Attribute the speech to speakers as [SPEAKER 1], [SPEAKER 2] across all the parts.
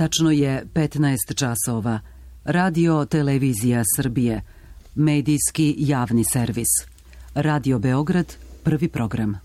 [SPEAKER 1] Tačno je 15 časova. Radio Televizija Srbije. Medijski javni servis. Radio Beograd, prvi program.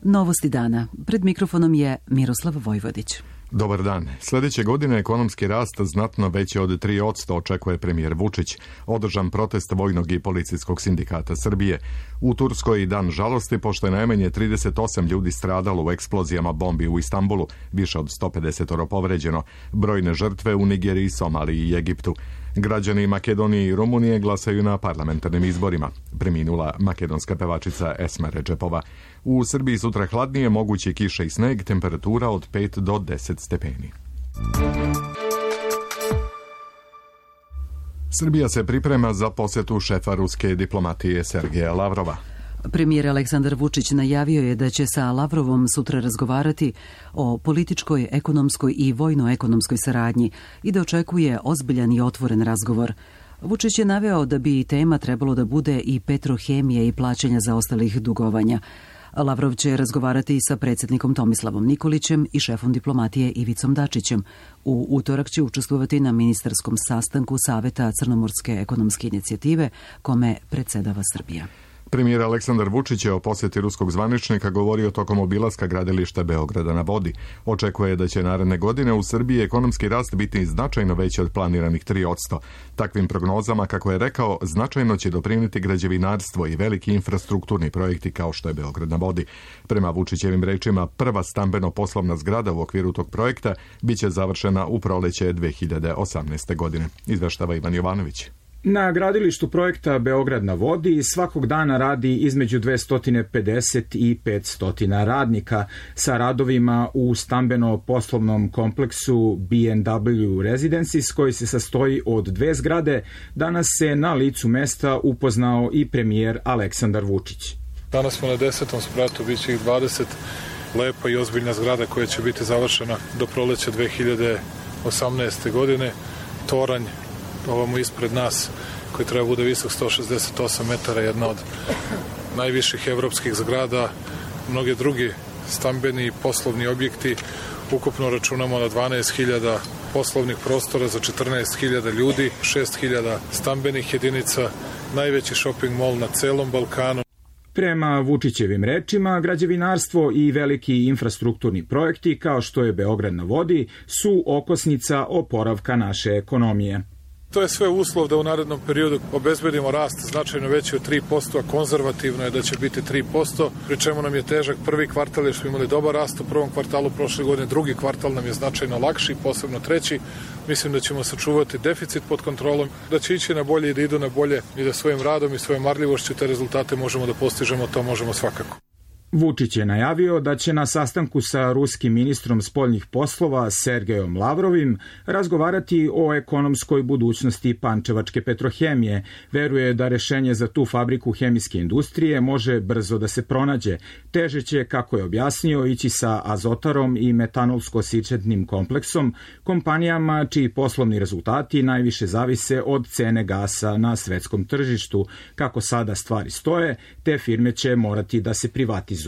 [SPEAKER 1] Novosti dana. Pred mikrofonom je Miroslav Vojvodić.
[SPEAKER 2] Dobar dan. Sljedeće godine ekonomski rast znatno veći od 3% očekuje premijer Vučić. Održan protest Vojnog i policijskog sindikata Srbije. U Turskoj dan žalosti, pošto je najmanje 38 ljudi stradalo u eksplozijama bombi u Istanbulu, više od 150 povređeno. Brojne žrtve u Nigeriji, Somaliji i Egiptu. Građani Makedonije i Rumunije glasaju na parlamentarnim izborima. Preminula makedonska pevačica Esma Redžepova. U Srbiji sutra hladnije, moguće kiše i sneg, temperatura od 5 do 10 stepeni. Srbija se priprema za posjetu šefa ruske diplomatije Sergeja Lavrova.
[SPEAKER 1] Premijer Aleksandar Vučić najavio je da će sa Lavrovom sutra razgovarati o političkoj, ekonomskoj i vojno-ekonomskoj saradnji i da očekuje ozbiljan i otvoren razgovor. Vučić je naveo da bi tema trebalo da bude i Petrohemije i plaćanja zaostalih dugovanja. Lavrov će razgovarati sa predsjednikom Tomislavom Nikolićem i šefom diplomatije Ivicom Dačićem. U utorak će učestvovati na ministarskom sastanku Saveta Crnomorske ekonomske inicijative, kome predsjedava Srbija.
[SPEAKER 2] Premijer Aleksandar Vučić je o posjeti ruskog zvaničnika govorio tokom obilaska gradilišta Beograda na vodi. Očekuje da će naredne godine u Srbiji ekonomski rast biti značajno veći od planiranih 3%. Takvim prognozama, kako je rekao, značajno će doprinijeti građevinarstvo i veliki infrastrukturni projekti kao što je Beograd na vodi. Prema Vučićevim rečima, prva stambeno-poslovna zgrada u okviru tog projekta biće završena u proleće 2018. godine. Izveštava Ivan Jovanović.
[SPEAKER 3] Na gradilištu projekta Beograd na vodi svakog dana radi između 250 i 500 radnika sa radovima u stambeno-poslovnom kompleksu B&W Residences, koji se sastoji od 2 zgrade. Danas se na licu mesta upoznao i premijer Aleksandar Vučić.
[SPEAKER 4] Danas smo na 10. spratu, bit će ih 20, lepa i ozbiljna zgrada koja će biti završena do proleća 2018. godine. Toranj ovamo ispred nas, koji treba bude visok 168 metara, jedna od najviših evropskih zgrada, mnoge drugi stambeni i poslovni objekti. Ukupno računamo na 12.000 poslovnih prostora za 14.000 ljudi, 6.000 stambenih jedinica, najveći shopping mall na celom Balkanu.
[SPEAKER 3] Prema Vučićevim rečima, građevinarstvo i veliki infrastrukturni projekti, kao što je Beograd na vodi, su okosnica oporavka naše ekonomije.
[SPEAKER 4] To je sve uslov da u narednom periodu obezbedimo rast značajno veći od 3%, a konzervativno je da će biti 3%, pri čemu nam je težak prvi kvartal, jer smo imali dobar rast u prvom kvartalu prošle godine, drugi kvartal nam je značajno lakši, posebno treći. Mislim da ćemo sačuvati deficit pod kontrolom, da će ići na bolje i da idu na bolje i da svojim radom i svojom marljivošću te rezultate možemo da postižemo, to možemo svakako.
[SPEAKER 3] Vučić je najavio da će na sastanku sa ruskim ministrom spoljnih poslova Sergejom Lavrovim razgovarati o ekonomskoj budućnosti pančevačke Petrohemije. Veruje da rešenje za tu fabriku hemijske industrije može brzo da se pronađe. Teže će, kako je objasnio, ići sa Azotarom i metanolsko-sičetnim kompleksom, kompanijama čiji poslovni rezultati najviše zavise od cene gasa na svetskom tržištu. Kako sada stvari stoje, te firme će morati da se privatizuju.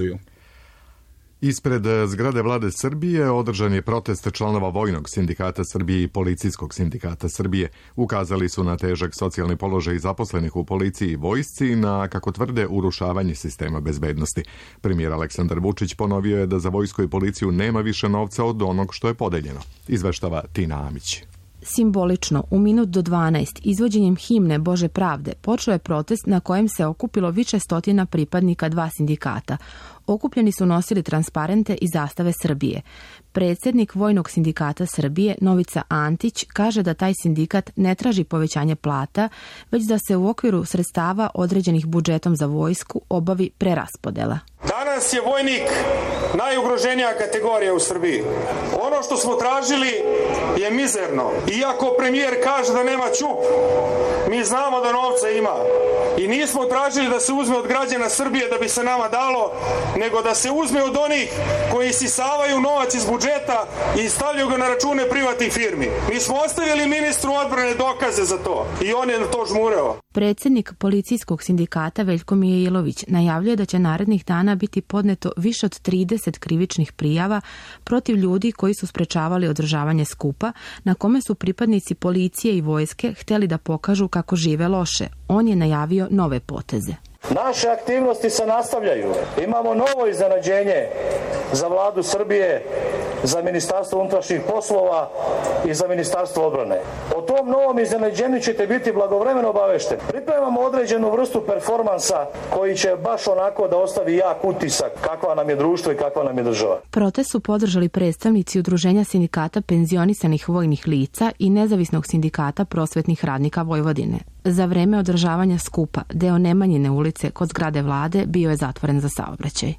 [SPEAKER 2] Ispred zgrade vlade Srbije održan je protest članova Vojnog sindikata Srbije i Policijskog sindikata Srbije. Ukazali su na težak socijalni položaj zaposlenih u policiji i vojsci i na, kako tvrde, urušavanje sistema bezbednosti. Premijer Aleksandar Vučić ponovio je da za vojsku i policiju nema više novca od onog što je podeljeno. Izveštava Tina Amić.
[SPEAKER 5] Simbolično, u minut do 12, izvođenjem himne Bože pravde, počeo je protest na kojem se okupilo više stotina pripadnika 2 sindikata. Okupljeni su nosili transparente i zastave Srbije. Predsjednik Vojnog sindikata Srbije, Novica Antić, kaže da taj sindikat ne traži povećanje plata, već da se u okviru sredstava određenih budžetom za vojsku obavi preraspodela.
[SPEAKER 6] Danas je vojnik najugroženija kategorija u Srbiji. Ono što smo tražili je mizerno. Iako premijer kaže da nema ćup, mi znamo da novca ima. I nismo tražili da se uzme od građana Srbije da bi se nama dalo, nego da se uzme od onih koji isisavaju novac iz budžeta i stavljaju ga na račune privatnih firmi. Mi smo ostavili ministru odbrane dokaze za to i on je na to žmureo.
[SPEAKER 5] Predsjednik policijskog sindikata Veljko Mijailović najavljuje da će narednih dana biti podneto više od 30 krivičnih prijava protiv ljudi koji su sprečavali održavanje skupa na kome su pripadnici policije i vojske htjeli da pokažu kako žive loše. On je najavio nove poteze.
[SPEAKER 7] Naše aktivnosti se nastavljaju. Imamo novo iznenađenje za vladu Srbije, za Ministarstvo unutrašnjih poslova i za Ministarstvo odbrane. O tom novom iznenađenju ćete biti blagovremeno obavešteni. Pripremamo određenu vrstu performansa koji će baš onako da ostavi jak utisak kakva nam je društvo i kakva nam je država.
[SPEAKER 5] Protest su podržali predstavnici Udruženja sindikata penzionisanih vojnih lica i Nezavisnog sindikata prosvetnih radnika Vojvodine. Za vreme održavanja skupa, deo Nemanjine ulice kod zgrade vlade bio je zatvoren za saobraćaj.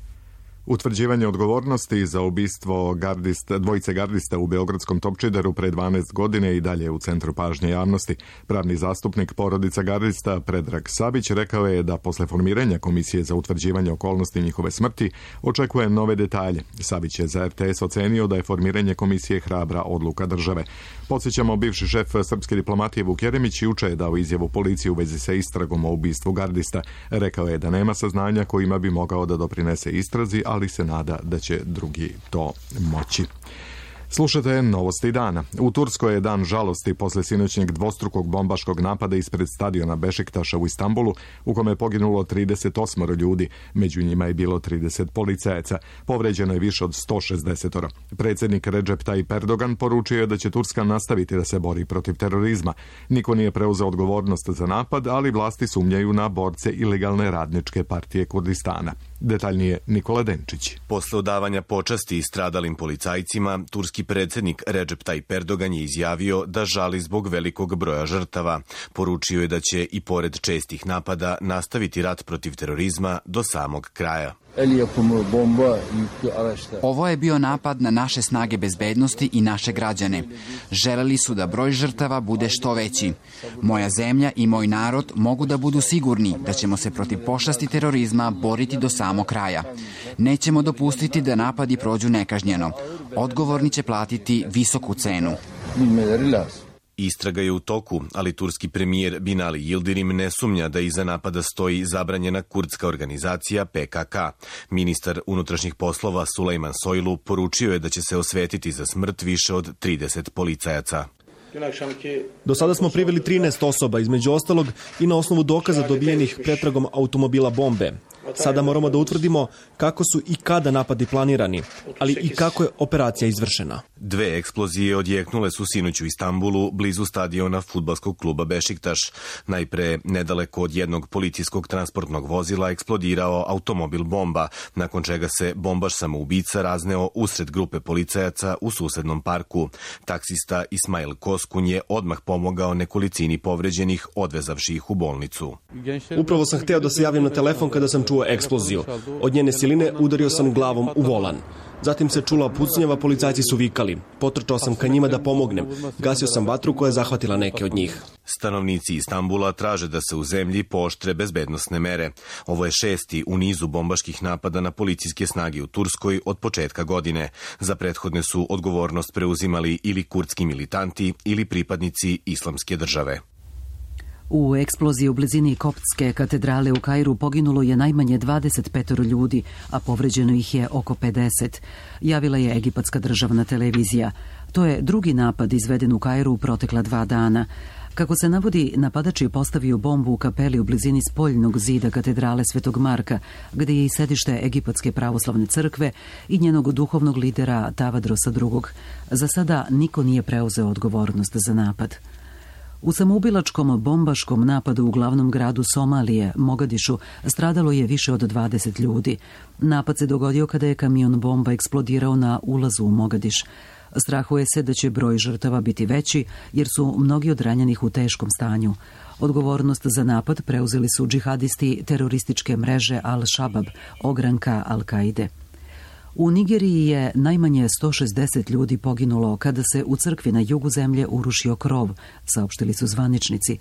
[SPEAKER 2] Utvrđivanje odgovornosti za ubistvo dvojice gardista u beogradskom Topčideru pre 12 godine i dalje u centru pažnje javnosti. Pravni zastupnik porodica gardista Predrag Sabić rekao je da posle formiranja Komisije za utvrđivanje okolnosti njihove smrti očekuje nove detalje. Sabić je za RTS ocenio da je formiranje komisije hrabra odluka države. Podsjećamo, bivši šef srpske diplomatije Vuk Jeremić juče je dao izjavu policiji u vezi sa istragom o ubistvu gardista. Rekao je da nema saznanja kojima bi mogao da doprinese istrazi, ali se nada da će drugi to moći. Slušate novosti dana. U Turskoj je dan žalosti posle sinoćnjeg dvostrukog bombaškog napada ispred stadiona Bešiktaša u Istanbulu, u kome je poginulo 38 ljudi, među njima je bilo 30 policajaca. Povređeno je više od 160. Predsjednik Recep Tayyip Erdogan poručio je da će Turska nastaviti da se bori protiv terorizma. Niko nije preuzeo odgovornost za napad, ali vlasti sumnjaju na borce ilegalne radničke partije Kurdistana. Detaljnije Nikola Denčić.
[SPEAKER 8] Posle odavanja počasti stradalim policajcima, turski predsjednik Recep Tayyip Erdogan je izjavio da žali zbog velikog broja žrtava. Poručio je da će i pored čestih napada nastaviti rat protiv terorizma do samog kraja.
[SPEAKER 9] Ovo je bio napad na naše snage bezbednosti i naše građane. Želeli su da broj žrtava bude što veći. Moja zemlja i moj narod mogu da budu sigurni da ćemo se protiv pošasti terorizma boriti do samog kraja. Nećemo dopustiti da napadi prođu nekažnjeno. Odgovorni će platiti visoku cenu.
[SPEAKER 8] Istraga je u toku, ali turski premijer Binali Yildirim ne sumnja da iza napada stoji zabranjena kurdska organizacija PKK. Ministar unutrašnjih poslova Sulejman Soylu poručio je da će se osvetiti za smrt više od 30 policajaca.
[SPEAKER 10] Do sada smo priveli 13 osoba, između ostalog i na osnovu dokaza dobijenih pretragom automobila bombe. Sada moramo da utvrdimo kako su i kada napadi planirani, ali i kako je operacija izvršena.
[SPEAKER 8] 2 eksplozije odjeknule su sinoć u Istanbulu, blizu stadiona fudbalskog kluba Bešiktaš. Najpre, nedaleko od jednog policijskog transportnog vozila eksplodirao automobil bomba, nakon čega se bombaš samoubica razneo usred grupe policajaca u susednom parku. Taksista Ismail Koskun je odmah pomogao nekolicini povređenih, odvezavši ih u bolnicu.
[SPEAKER 10] Upravo sam hteo da se javim na telefon kada sam čuo eksploziju. Od njene siline udario sam glavom u volan. Zatim se čula pucnjava, policajci su vikali. Potrčao sam ka njima da pomognem. Gasio sam vatru koja je zahvatila neke od njih.
[SPEAKER 8] Stanovnici Istanbula traže da se u zemlji pooštre bezbednosne mere. Ovo je 6. u nizu bombaških napada na policijske snage u Turskoj od početka godine. Za prethodne su odgovornost preuzimali ili kurdski militanti ili pripadnici Islamske države.
[SPEAKER 1] U eksploziji u blizini Koptske katedrale u Kairu poginulo je najmanje 25 ljudi, a povređeno ih je oko 50. Javila je egipatska državna televizija. To je drugi napad izveden u Kairu u protekla 2 dana. Kako se navodi, napadač je postavio bombu u kapeli u blizini spoljnog zida katedrale Svetog Marka, gdje je i sedište Egipatske pravoslavne crkve i njenog duhovnog lidera Tavadrosa II. Za sada niko nije preuzeo odgovornost za napad. U samoubilačkom bombaškom napadu u glavnom gradu Somalije, Mogadišu, stradalo je više od 20 ljudi. Napad se dogodio kada je kamion bomba eksplodirao na ulazu u Mogadiš. Strahuje se da će broj žrtava biti veći, jer su mnogi od ranjenih u teškom stanju. Odgovornost za napad preuzeli su džihadisti terorističke mreže Al-Shabab, ogranka Al-Kaide. U Nigeriji je najmanje 160 ljudi poginulo kada se u crkvi na jugu zemlje urušio krov, saopštili su zvaničnici.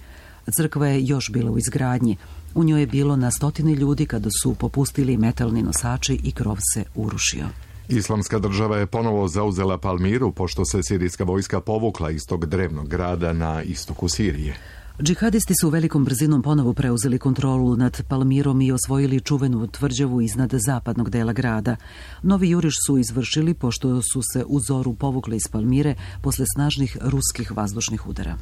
[SPEAKER 1] Crkva je još bila u izgradnji. U njoj je bilo na 100 ljudi kada su popustili metalni nosači i krov se urušio.
[SPEAKER 2] Islamska država je ponovo zauzela Palmiru, pošto se sirijska vojska povukla iz tog drevnog grada na istoku Sirije.
[SPEAKER 1] Džihadisti su velikom brzinom ponovo preuzeli kontrolu nad Palmirom i osvojili čuvenu tvrđavu iznad zapadnog dela grada. Novi juriš su izvršili pošto su se u zoru povukli iz Palmire posle snažnih ruskih vazdušnih udara.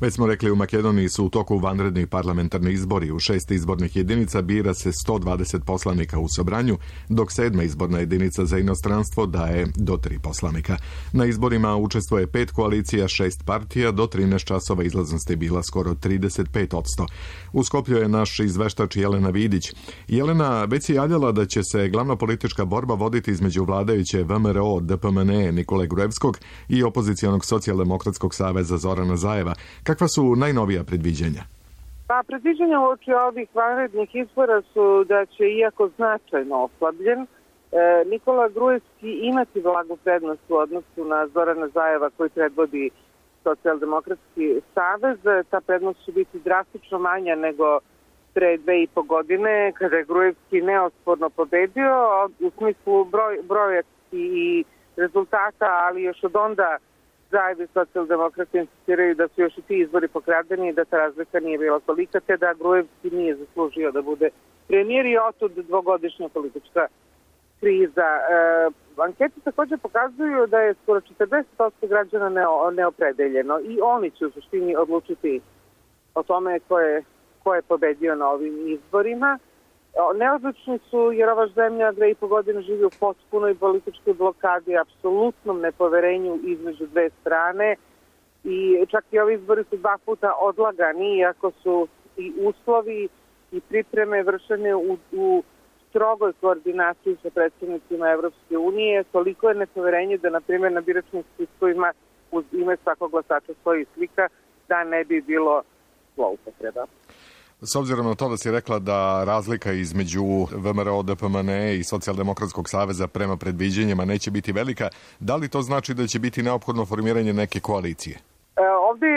[SPEAKER 2] Već smo rekli, u Makedoniji su u toku vanredni parlamentarni izbori. U 6 izbornih jedinica bira se 120 poslanika u Sobranju, dok 7. izborna jedinica za inostranstvo daje do 3 poslanika. Na izborima učestvuje 5 koalicija, 6 partija, do 13 časova izlaznost je bila skoro 35%. U Skoplju je naš izveštač Jelena Vidić. Jelena, već si javljala da će se glavna politička borba voditi između vladajuće VMRO, DPMNE Nikole Gruevskog i opozicionog socijaldemokratskog saveza Zorana Zajeva. Kakva su najnovija predviđanja?
[SPEAKER 11] Pa predviđanja uoči ovih vanrednih izbora su da će, iako značajno oslabljen, Nikola Gruevski imati blagu prednost u odnosu na Zorana Zajeva koji predvodi socijaldemokratski savez. Ta prednost će biti drastično manja nego pre 2,5 godine kada je Gruevski neosporno pobedio u smislu brojevski i rezultata, ali još od onda Zajev i socijaldemokrati insistiraju da su još i ti izbori pokradeni i da ta razlika nije bila tolika, te da Gruevski nije zaslužio da bude premijer i otud dvogodišnja politička kriza. Ankete također pokazuju da je skoro 40% građana neopredeljeno i oni će u suštini odlučiti o tome ko je pobedio na ovim izborima. Neodlučni su jer ova zemlja 2,5 godine živi u potpunoj političkoj blokadi, apsolutnom nepoverenju između dve strane i čak i ovi izbori su 2 puta odlagani, iako su i uslovi i pripreme vršene u strogoj koordinaciji sa predsjednicima Evropske unije. Toliko je nepoverenje da, na primjer, na biračnim spiskovima uz ime svakog glasača stoji slika da ne bi bilo zloupotreba.
[SPEAKER 2] S obzirom na to da si rekla da razlika između VMRO, DPMNE i Socijaldemokratskog saveza prema predviđenjima neće biti velika, da li to znači da će biti neophodno formiranje neke koalicije?
[SPEAKER 11] Ovdje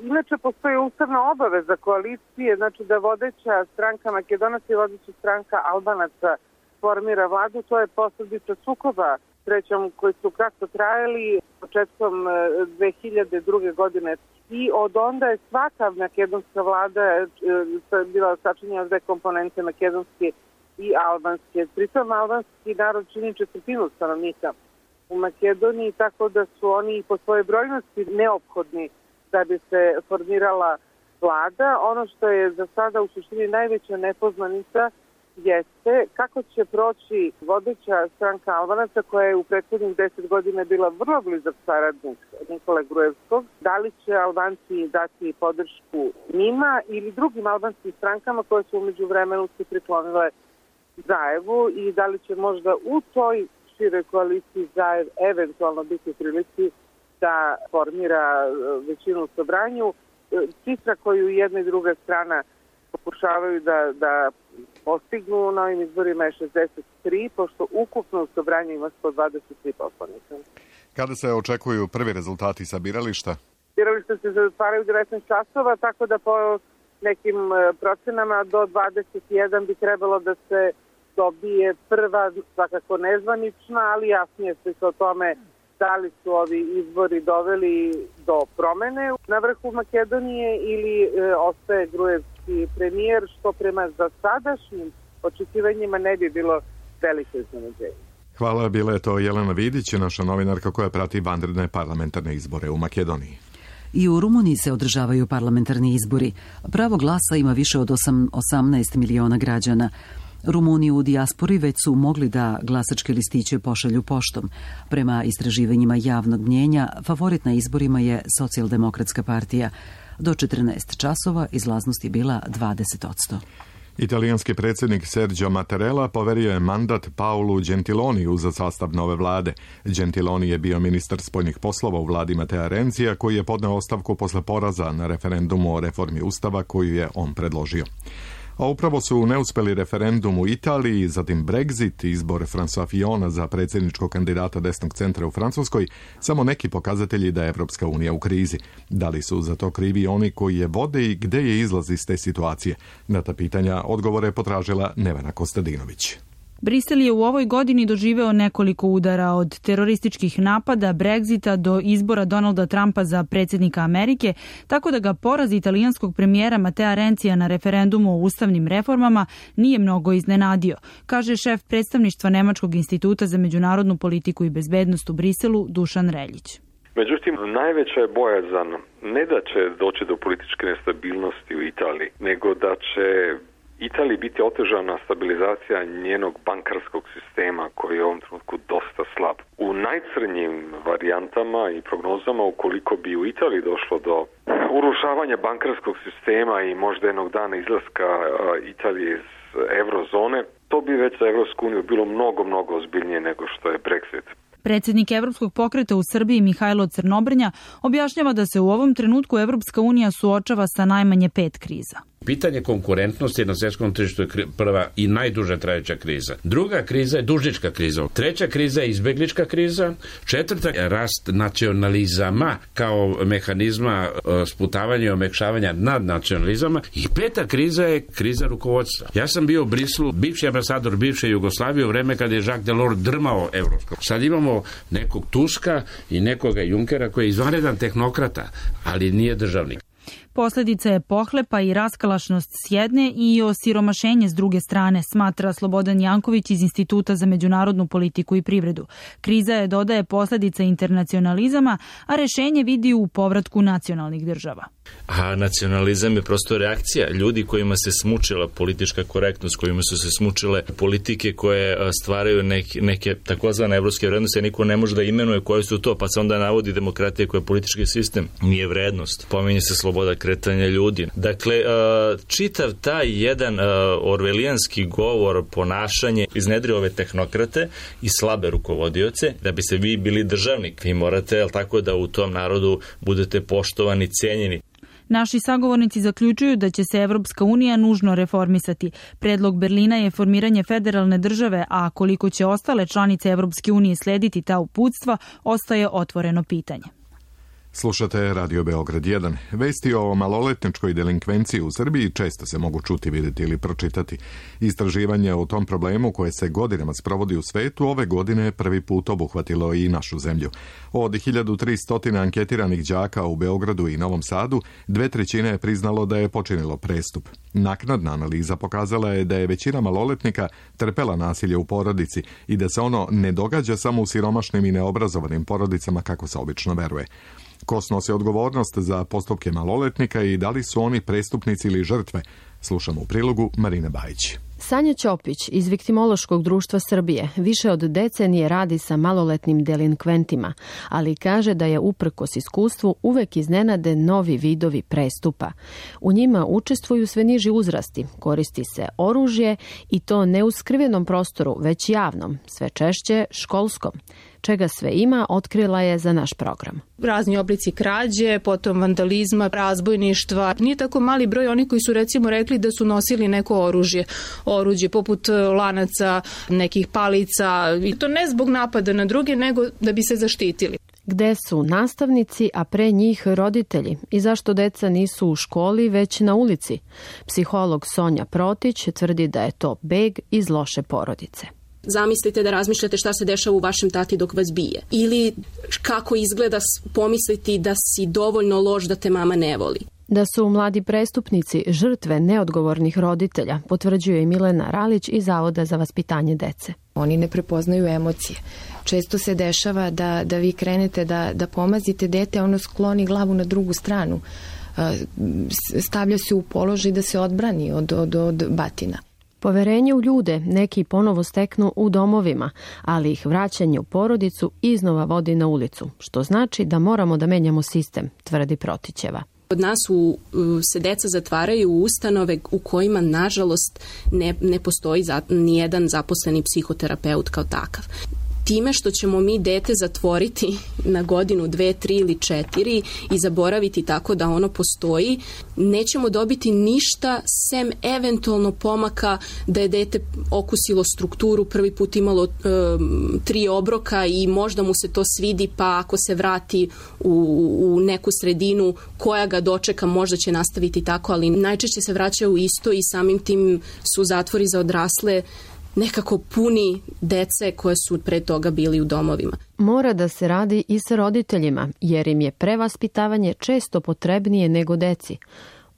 [SPEAKER 11] inače postoji ustavna obaveza koalicije, znači da vodeća stranka Makedonaca i vodeća stranka Albanaca formira vladu. To je posledica sukoba srećom koji su kratko trajali početkom 2002. godine. I od onda je svaka makedonska vlada bila sačinjena od 2 komponente, makedonske i albanske. Pritom albanski narod čini 1/4 stanovnika u Makedoniji, tako da su oni po svojoj brojnosti neophodni da bi se formirala vlada. Ono što je za sada u suštini najveća nepoznanica jeste kako će proći vodeća stranka Albanaca koja je u prethodnih 10 godina bila vrlo blizak saradnik Nikole Gruevskog. Da li će Albanci dati podršku njima ili drugim albanskim strankama koje su umeđu vremenu se priklonile Zajevu i da li će možda u toj široj koaliciji Zajev eventualno biti u prilici da formira većinu u Sobranju. Cifra koju jedna i druga strana pokušavaju da postignu na ovim izborima je 63, pošto ukupno u Sobranju ima 123 poslanika.
[SPEAKER 2] Kada se očekuju prvi rezultati sa birališta?
[SPEAKER 11] Birališta se zatvaraju 19 časova, tako da po nekim procenama do 21 bi trebalo da se dobije prva, svakako nezvanična, ali jasnije se o tome da li su ovi izbori doveli do promene na vrhu Makedonije ili ostaje Gruevski premijer, što prema za sadašnjim očekivanjima ne bi bilo veliko iznenađenje.
[SPEAKER 2] Hvala, bila je to Jelena Vidić, naša novinarka koja prati vanredne parlamentarne izbore u Makedoniji.
[SPEAKER 1] I u Rumuniji se održavaju parlamentarni izbori. Pravo glasa ima više od 18 miliona građana. Rumuni u dijaspori već su mogli da glasačke listiće pošalju poštom. Prema istraživanjima javnog mnjenja, favorit na izborima je Socijaldemokratska partija. Do 14 časova izlaznost je bila 20%.
[SPEAKER 2] Italijanski predsjednik Sergio Mattarella poverio je mandat Paolu Gentiloniju za sastav nove vlade. Gentiloni je bio ministar spoljnih poslova u vladi Matea Renzija, koji je podneo ostavku posle poraza na referendumu o reformi ustava koju je on predložio. A upravo su neuspeli referendum u Italiji, zatim Brexit, izbor François Fillona za predsjedničkog kandidata desnog centra u Francuskoj, samo neki pokazatelji da je Evropska unija u krizi. Da li su za to krivi oni koji je vode i gde je izlaz iz te situacije? Na ta pitanja odgovore je potražila Nevena Kostadinović.
[SPEAKER 12] Brisel je u ovoj godini doživeo nekoliko udara, od terorističkih napada, Brexita do izbora Donalda Trumpa za predsjednika Amerike, tako da ga poraz italijanskog premijera Matea Rencija na referendumu o ustavnim reformama nije mnogo iznenadio, kaže šef predstavništva Nemačkog instituta za međunarodnu politiku i bezbednost u Briselu Dušan Reljić.
[SPEAKER 13] Međutim, najveća je bojazan ne da će doći do političke nestabilnosti u Italiji, nego da će Italiji biti otežana stabilizacija njenog bankarskog sistema koji je u ovom trenutku dosta slab. U najcrnjim varijantama i prognozama, ukoliko bi u Italiji došlo do urušavanja bankarskog sistema i možda jednog dana izlaska Italije iz eurozone, to bi već za Evropsku uniju bilo mnogo ozbiljnije nego što je Brexit.
[SPEAKER 12] Predsjednik Evropskog pokreta u Srbiji Mihajlo Crnobrnja objašnjava da se u ovom trenutku Evropska unija suočava sa najmanje 5 kriza.
[SPEAKER 14] Pitanje konkurentnosti na svjetskom tržištu je prva i najduže trajeća kriza. Druga kriza je dužnička kriza. Treća kriza je izbeglička kriza. Četvrta je rast nacionalizama kao mehanizma sputavanja i omekšavanja nad nacionalizama. I peta kriza je kriza rukovodstva. Ja sam bio u Briselu, bivši ambasador bivše Jugoslavije u vreme kada je Jacques Delors drmao Evropskom. Sad imamo nekog Tuska i nekoga Junckera koji je izvanredan tehnokrata, ali nije državnik.
[SPEAKER 12] Posljedica je pohlepa i raskalašnost s jedne i osiromašenje s druge strane, smatra Slobodan Janković iz Instituta za međunarodnu politiku i privredu. Kriza je, dodaje, posljedica internacionalizama, a rješenje vidi u povratku nacionalnih država.
[SPEAKER 15] A nacionalizam je prosto reakcija ljudi kojima se smučila politička korektnost, kojima su se smučile politike koje stvaraju neke takozvane evropske vrednosti, a niko ne može da imenuje koje su to, pa se onda navodi demokratija koja je politički sistem, nije vrednost. Pominje se sloboda kretanja ljudi. Dakle, čitav taj jedan orvelijanski govor, ponašanje iznedri ove tehnokrate i slabe rukovodioce, da bi se vi bili državnik. Vi morate, jel tako, da u tom narodu budete poštovani, cijenjeni.
[SPEAKER 12] Naši sagovornici zaključuju da će se Evropska unija nužno reformisati. Predlog Berlina je formiranje federalne države, a koliko će ostale članice Evropske unije slediti ta uputstva, ostaje otvoreno pitanje.
[SPEAKER 2] Slušate Radio Beograd 1. Vesti o maloletničkoj delinkvenciji u Srbiji često se mogu čuti, vidjeti ili pročitati. Istraživanje o tom problemu koje se godinama sprovodi u svetu ove godine je prvi put obuhvatilo i našu zemlju. Od 1300 anketiranih đaka u Beogradu i Novom Sadu, 2/3 je priznalo da je počinilo prestup. Naknadna analiza pokazala je da je većina maloletnika trpela nasilje u porodici i da se ono ne događa samo u siromašnim i neobrazovanim porodicama kako se obično veruje. Ko snosi odgovornost za postupke maloletnika i da li su oni prestupnici ili žrtve? Slušamo u prilogu Marine Bajić.
[SPEAKER 16] Sanja Ćopić iz Viktimološkog društva Srbije više od decenije radi sa maloletnim delinkventima, ali kaže da je uprkos iskustvu uvek iznenade novi vidovi prestupa. U njima učestvuju sve niži uzrasti, koristi se oružje i to ne u skrivenom prostoru, već javnom, sve češće školskom. Čega sve ima, otkrila je za naš program.
[SPEAKER 17] Razni oblici krađe, potom vandalizma, razbojništva. Nije tako mali broj oni koji su recimo rekli da su nosili neko oružje. Oruđe poput lanaca, nekih palica. I to ne zbog napada na druge, nego da bi se zaštitili.
[SPEAKER 16] Gde su nastavnici, a pre njih roditelji? I zašto deca nisu u školi, već na ulici? Psiholog Sonja Protić tvrdi da je to beg iz loše porodice.
[SPEAKER 18] Zamislite da razmišljate šta se dešava u vašem tati dok vas bije. Ili kako izgleda pomisliti da si dovoljno loš da te mama ne voli.
[SPEAKER 16] Da su mladi prestupnici žrtve neodgovornih roditelja, potvrđuje i Milena Ralić iz Zavoda za vaspitanje dece.
[SPEAKER 19] Oni ne prepoznaju emocije. Često se dešava da vi krenete da pomazite dete, a ono skloni glavu na drugu stranu. Stavlja se u položaj da se odbrani od batina.
[SPEAKER 16] Poverenje u ljude neki ponovo steknu u domovima, ali ih vraćanje u porodicu iznova vodi na ulicu, što znači da moramo da menjamo sistem, tvrdi Protićeva.
[SPEAKER 18] Od nas se deca zatvaraju u ustanove u kojima, nažalost, ne postoji nijedan zaposleni psihoterapeut kao takav. Time što ćemo mi dete zatvoriti na godinu, 2, 3 ili 4 i zaboraviti tako da ono postoji, nećemo dobiti ništa sem eventualno pomaka da je dete okusilo strukturu, prvi put imalo 3 obroka i možda mu se to svidi, pa ako se vrati u neku sredinu koja ga dočeka, možda će nastaviti tako, ali najčešće se vraćaju isto i samim tim su zatvori za odrasle nekako puni dece koje su pre toga bili u domovima.
[SPEAKER 16] Mora da se radi i sa roditeljima, jer im je prevaspitavanje često potrebnije nego deci.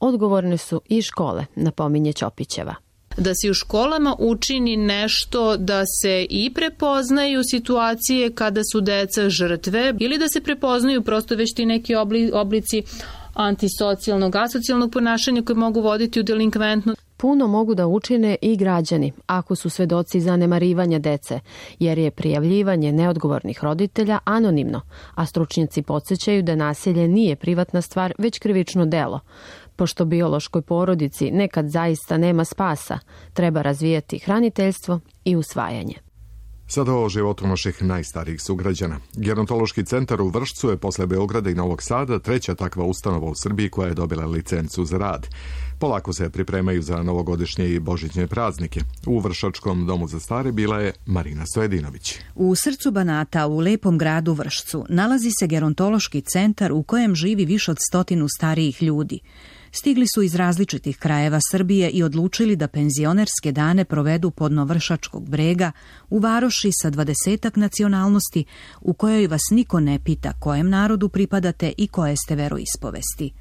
[SPEAKER 16] Odgovorne su i škole, napominje Ćopićeva.
[SPEAKER 17] Da se u školama učini nešto da se i prepoznaju situacije kada su deca žrtve ili da se prepoznaju prosto već ti neki oblici antisocijalnog, asocijalnog ponašanja koje mogu voditi u delinkventno.
[SPEAKER 16] Puno mogu da učine i građani ako su svedoci zanemarivanja dece, jer je prijavljivanje neodgovornih roditelja anonimno, a stručnjaci podsjećaju da nasilje nije privatna stvar, već krivično delo. Pošto biološkoj porodici nekad zaista nema spasa, treba razvijati hraniteljstvo i usvajanje.
[SPEAKER 2] Sada o životu naših najstarijih sugrađana. Gerontološki centar u Vršcu je posle Beograda i Novog Sada treća takva ustanova u Srbiji koja je dobila licencu za rad. Polako se pripremaju za novogodišnje i božićne praznike. U Vršačkom domu za stare bila je Marina Stojedinović.
[SPEAKER 20] U srcu Banata, u lepom gradu Vršcu, nalazi se gerontološki centar u kojem živi više od 100 starijih ljudi. Stigli su iz različitih krajeva Srbije i odlučili da penzionerske dane provedu podno Vršačkog brega u varoši sa 20 nacionalnosti u kojoj vas niko ne pita kojem narodu pripadate i koje ste veroispovesti.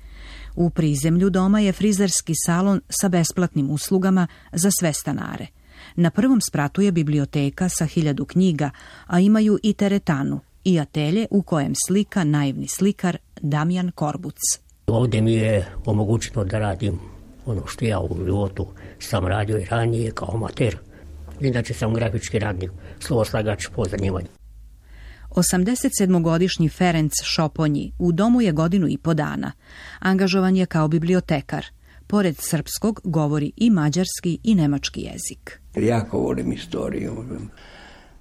[SPEAKER 20] U prizemlju doma je frizerski salon sa besplatnim uslugama za sve stanare. Na prvom spratu je biblioteka sa 1000 knjiga, a imaju i teretanu i atelje u kojem slika naivni slikar Damjan Korbuc.
[SPEAKER 21] Ovdje mi je omogućeno da radim ono što ja u životu sam radio i ranije kao amater. Inače sam grafički radnik, slovoslagač po zanimanju.
[SPEAKER 20] 87-godišnji Ferenc Šoponji u domu je 1,5 godina. Angažovan je kao bibliotekar. Pored srpskog govori i mađarski i nemački jezik.
[SPEAKER 22] Jako volim istoriju.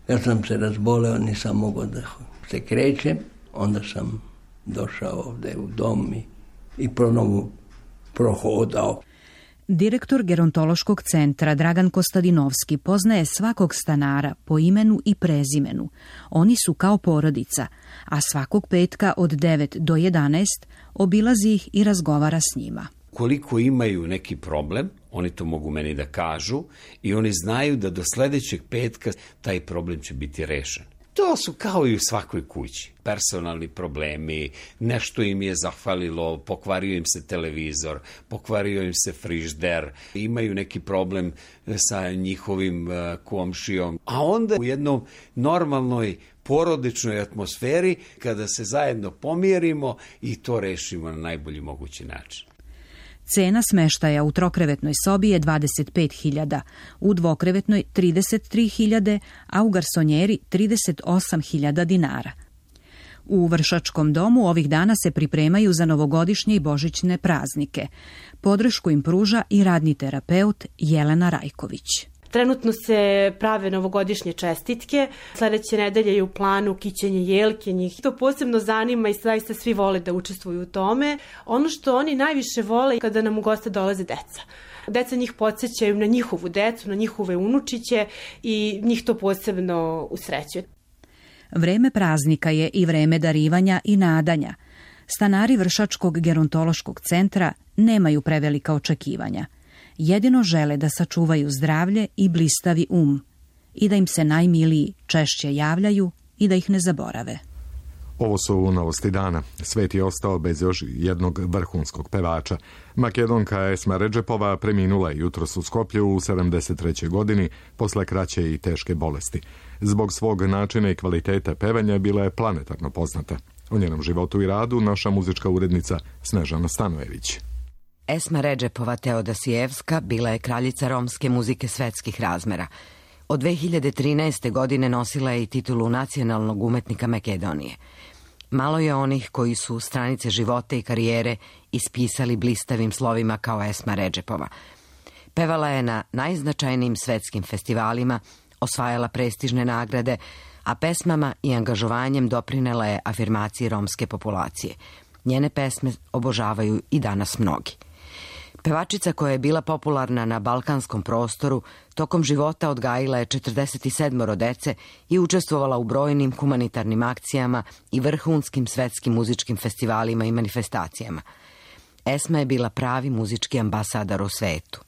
[SPEAKER 22] Ja sam se razboleo, nisam mogao da se krećem. Onda sam došao ovdje u dom i ponovo prohodao.
[SPEAKER 20] Direktor gerontološkog centra Dragan Kostadinovski poznaje svakog stanara po imenu i prezimenu. Oni su kao porodica, a svakog petka od 9 do 11 obilazi ih i razgovara s njima.
[SPEAKER 23] Koliko imaju neki problem, oni to mogu meni da kažu i oni znaju da do sledećeg petka taj problem će biti rešen. To su kao i u svakoj kući. Personalni problemi, nešto im je zahvalilo, pokvario im se televizor, pokvario im se frižder, imaju neki problem sa njihovim komšijom. A onda u jednom normalnoj porodičnoj atmosferi, kada se zajedno pomirimo i to rešimo na najbolji mogući način.
[SPEAKER 20] Cena smeštaja u trokrevetnoj sobi je 25.000, u dvokrevetnoj 33.000, a u garsonjeri 38.000 dinara. U Vršačkom domu ovih dana se pripremaju za novogodišnje i božićne praznike. Podršku im pruža i radni terapeut Jelena Rajković.
[SPEAKER 24] Trenutno se prave novogodišnje čestitke, sledeće nedelje je u planu kićenje jelke, njih to posebno zanima i zaista svi vole da učestvuju u tome. Ono što oni najviše vole kada nam u goste dolaze deca. Deca njih podsjećaju na njihovu decu, na njihove unučiće i njih to posebno usrećuje.
[SPEAKER 20] Vreme praznika je i vreme darivanja i nadanja. Stanari Vršačkog gerontološkog centra nemaju prevelika očekivanja. Jedino žele da sačuvaju zdravlje i blistavi i da im se najmiliji češće javljaju i da ih ne zaborave.
[SPEAKER 2] Ovo su novosti dana. Svet je ostao bez još jednog vrhunskog pevača. Makedonka Esma Redžepova preminula je jutros u Skoplju u 73. godini posle kraće i teške bolesti. Zbog svog načina i kvaliteta pevanja bila je planetarno poznata. O njenom životu i radu naša muzička urednica Snežana Stanojević.
[SPEAKER 25] Esma Redžepova Teodosijevska bila je kraljica romske muzike svetskih razmera. Od 2013. godine nosila je i titulu nacionalnog umetnika Makedonije. Malo je onih koji su stranice života i karijere ispisali blistavim slovima kao Esma Redžepova. Pevala je na najznačajnijim svetskim festivalima, osvajala prestižne nagrade, a pesmama i angažovanjem doprinela je afirmaciji romske populacije. Njene pesme obožavaju i danas mnogi. Pevačica koja je bila popularna na balkanskom prostoru, tokom života odgajila je 47 dece i učestvovala u brojnim humanitarnim akcijama i vrhunskim svetskim muzičkim festivalima i manifestacijama. Esma je bila pravi muzički ambasador u svetu.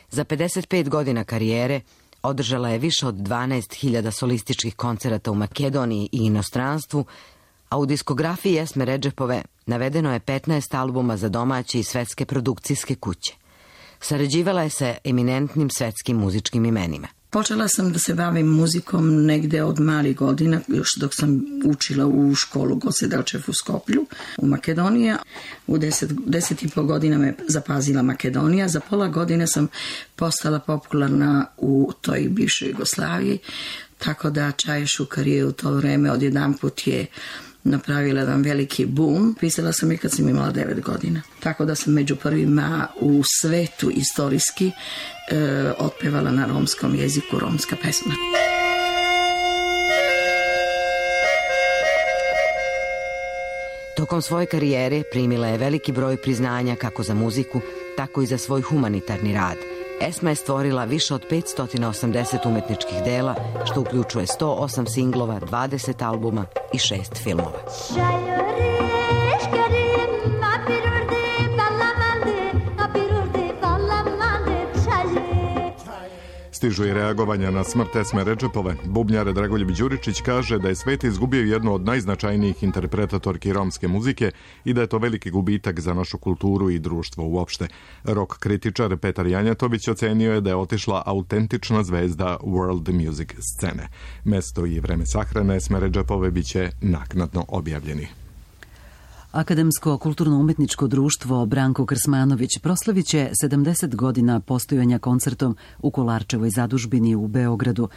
[SPEAKER 25] Za 55 godina karijere Održala je više od 12.000 solističkih koncerata u Makedoniji i inostranstvu, a u diskografiji Esme Redžepove navedeno je 15 albuma za domaće i svetske produkcijske kuće. Sarađivala je sa eminentnim svetskim muzičkim imenima.
[SPEAKER 3] Počela sam da se bavim muzikom negde od malih godina, još dok sam učila u školu Gosedelčev u Skoplju, u Makedoniji. U 10,5 godina me zapazila Makedonija. Za pola godine sam postala popularna u toj bivšoj Jugoslaviji, tako da Čaja Šukar je u to vreme odjedanput je napravila jedan veliki boom. Pisala sam i kad sam imala 9 godina. Tako da sam među prvima u svetu istorijski otpevala na romskom jeziku romska pesma.
[SPEAKER 25] Tokom svoje karijere primila je veliki broj priznanja kako za muziku, tako i za svoj humanitarni rad. Esma je stvorila više od 580 umetničkih dela, što uključuje 108 singlova, 20 albuma i 6 filmova.
[SPEAKER 2] Stižu i reagovanja na smrt Esme Redžepove. Bubnjar Dragoljub Đuričić kaže da je svet izgubio jednu od najznačajnijih interpretatorki romske muzike i da je to veliki gubitak za našu kulturu i društvo uopšte. Rock kritičar Petar Janjatović ocenio je da je otišla autentična zvezda world music scene. Mesto i vreme sahrane Esme Redžepove biće naknadno objavljeni.
[SPEAKER 1] Akademsko kulturno-umetničko društvo Branko Krsmanović proslavit će 70 godina postojanja koncertom u Kolarčevoj zadužbini u Beogradu.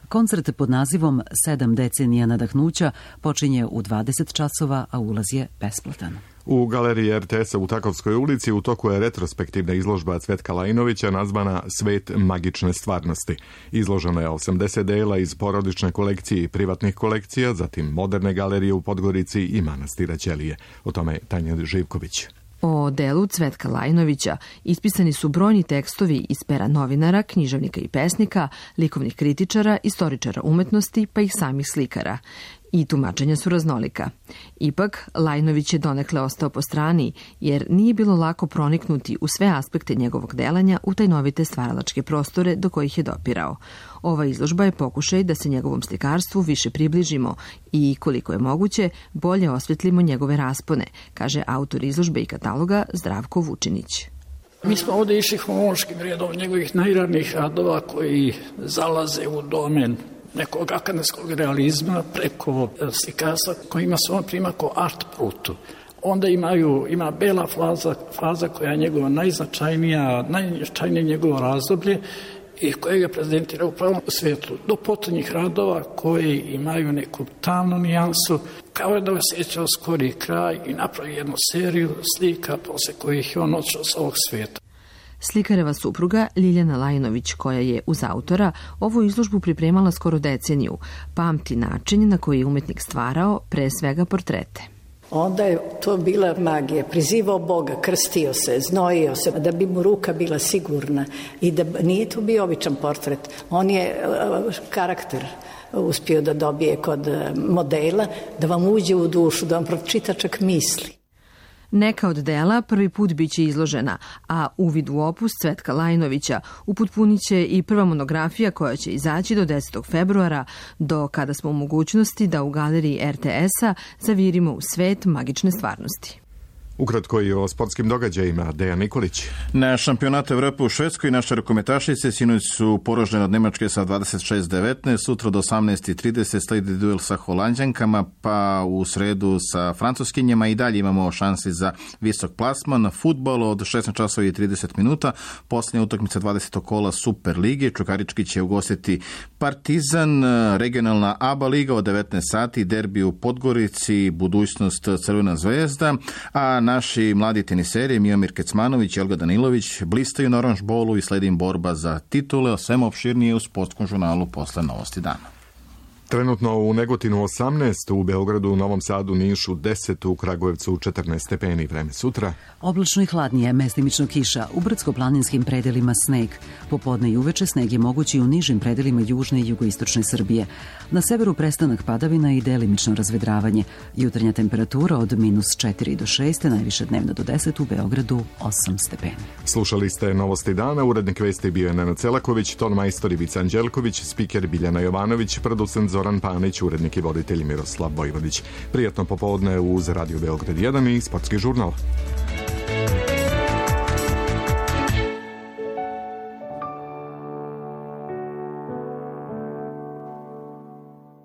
[SPEAKER 1] Koncert pod nazivom 7 decenija nadahnuća počinje u 20 časova, a ulaz je besplatan.
[SPEAKER 2] U galeriji RTS-a u Takovskoj ulici u toku je retrospektivna izložba Cvetka Lajinovića nazvana Svet magične stvarnosti. Izloženo je 80 dela iz porodične kolekcije i privatnih kolekcija, zatim moderne galerije u Podgorici i manastira Ćelije. O tome Tanja Živković.
[SPEAKER 4] O delu Cvetka Lajinovića ispisani su brojni tekstovi iz pera novinara, književnika i pesnika, likovnih kritičara, istoričara umetnosti, pa i samih slikara. I tumačenja su raznolika. Ipak, Lajinović je donekle ostao po strani, jer nije bilo lako proniknuti u sve aspekte njegovog delanja u tajnovite stvaralačke prostore do kojih je dopirao. Ova izložba je pokušaj da se njegovom slikarstvu više približimo i, koliko je moguće, bolje osvetlimo njegove raspone, kaže autor izložbe i kataloga Zdravko Vučinić.
[SPEAKER 5] Mi smo ovdje išli hronološkim redom njegovih najranijih radova koji zalaze u domen nekog akademskog realizma preko slikarstva koji ima svoj primak o art brutu. Onda ima bela faza koja je njegova najznačajnije njegovo razdoblje i koje ga prezentira upravo u svijetu. Do potonjih radova koji imaju neku tamnu nijansu, kao da osjećao skori kraj i napravi jednu seriju slika posle kojih je on odšao sa ovog svijeta.
[SPEAKER 4] Slikareva supruga Ljiljana Lajinović, koja je uz autora ovu izložbu pripremala skoro deceniju, pamti način na koji je umetnik stvarao, pre svega portrete.
[SPEAKER 6] Onda je to bila magija, prizivao Boga, krstio se, znojio se, da bi mu ruka bila sigurna i da nije to bio običan portret. On je karakter uspio da dobije kod modela, da vam uđe u dušu, da vam pročita čak misli.
[SPEAKER 4] Neka od dela prvi put biće izložena, a uvid u opus Cvetka Lajinovića upotpunit će i prva monografija koja će izaći do 10. februara, do kada smo u mogućnosti da u galeriji RTS-a zavirimo u svet magične stvarnosti.
[SPEAKER 2] Ukratko i o sportskim događajima, Dejan Nikolić.
[SPEAKER 7] Na šampionatu Evrope u Švedskoj naše rukometašice sinoć su poražene od Nemačke sa 26-19, sutra do 18:30 sledi duel sa Holanđankama, pa u sredu sa Francuskinjama i dalje imamo šansi za visok plasman. Fudbal od 16:30, posljednja utakmica 20. kola Super lige. Čukarički će ugostiti Partizan, regionalna ABA liga od 19 sati, derbi u Podgorici, budućnost Crvena zvezda, a naši mladi teniseri Miomir Kecmanović i Olga Danilović blistaju na Orange Bowlu i sledi im borba za titule, o svemu opširnije u sportskom žurnalu posle Novosti dana.
[SPEAKER 2] Trenutno u Negotinu 18, u Beogradu, Novom Sadu, Nišu 10, u Kragujevcu 14 stepeni. Vreme sutra.
[SPEAKER 1] Oblačno i hladnije, mestimično kiša, u brdsko-planinskim predelima sneg. Popodne i uveče sneg je mogući u nižim predelima južne i jugoistočne Srbije. Na severu prestanak padavina i delimično razvedravanje. Jutarnja temperatura od -4 do 6, najviše dnevno do 10, u Beogradu 8 stepeni.
[SPEAKER 2] Slušali ste Novosti dana, urednik vesti bio je Nenad Celaković, ton majstor Ivica Anđelković, spiker Biljana Jovanović, producent Zoran Panić, urednik i voditelj Miroslav Vojvodić. Prijatno popodne uz Radio Beograd 1 i Sportski žurnal.